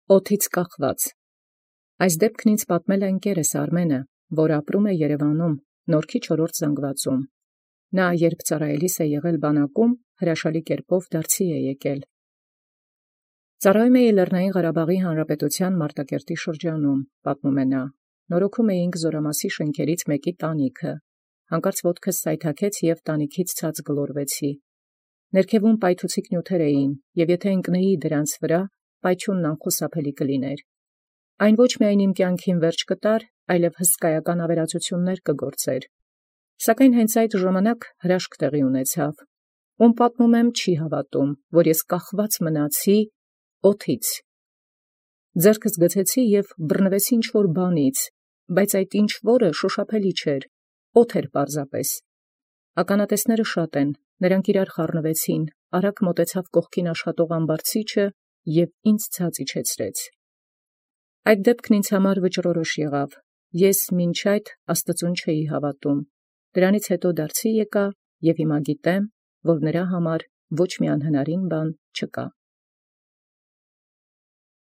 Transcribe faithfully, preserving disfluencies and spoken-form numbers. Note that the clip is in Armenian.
Օդից կախված։ Այս դեպքն ինձ պատմել է ընկերս Արմենը, որ ապրում է Երևանում, Նորքի չորրորդ զանգվածում։ Նա երբ ծառայելիս է եղել բանակում, հրաշալի կերպով դարձի է եկել։ Ծառայում էի Լեռնային Ղարաբաղի Հանրապետության Մարտակերտի շրջանում, պատմում է նա։ Նորոգում էինք Զորամասի շենքերից մեկի տանիքը։ Հանկարծ ոտքս սայթաքեց և տանիքից ցած գլորվեցի։ Ներքևում պայթուցիկ նյութեր էին, և եթե ընկնեի դրանց վրա, պայթյունն անխուսափելի կլիներ։ Այն ոչ միայն իմ կյանքին վերջ կտար, այլև հսկայական ավերածություններ կգործեր։ Սակայն հենց այդ ժամանակ հրաշք տեղի ունեցավ։ Ում պատմում եմ, չի հավատում, որ ես կախված մնացի օդից։ Ձեռքս գցեցի և բռնվեցի ինչ-որ բանից, բայց այդ ինչ-որը շոշափելի չէր, օդ էր պարզապես։ Ականատեսները շատ են, նրանք իրար խառնվեցին, արագ մոտեցավ կողքին աշխատող ամբարձիչը և ինձ ցած իջեցրեց։ Այդ դեպքն ինձ համար վճռորոշ եղավ, ես մինչ այդ աստծուն չէի հավատում, դրանից հետո դարձի եկա և հիմա գիտեմ, որ նրա համար ոչ մի անհնարին բան չկա։